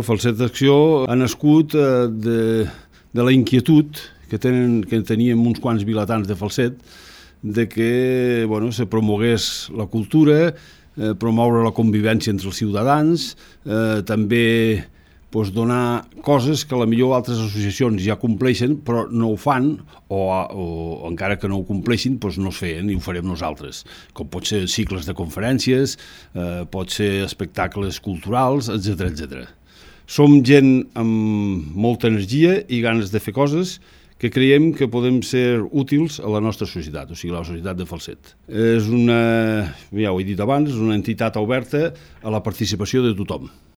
Falset d'Acció ha nascut de la inquietud que teníem uns quants vilatans de Falset de que se promogués la cultura, promoure la convivència entre els ciutadans, també donar coses que potser altres associacions ja compleixen però no ho fan o encara que no ho compleixin no es feien i ho farem nosaltres, com pot ser cicles de conferències, pot ser espectacles culturals, etc. Som gent amb molta energia i ganes de fer coses que creiem que podem ser útils a la nostra societat, o sigui, la societat de Falset. És ja ho he dit abans, és una entitat oberta a la participació de tothom.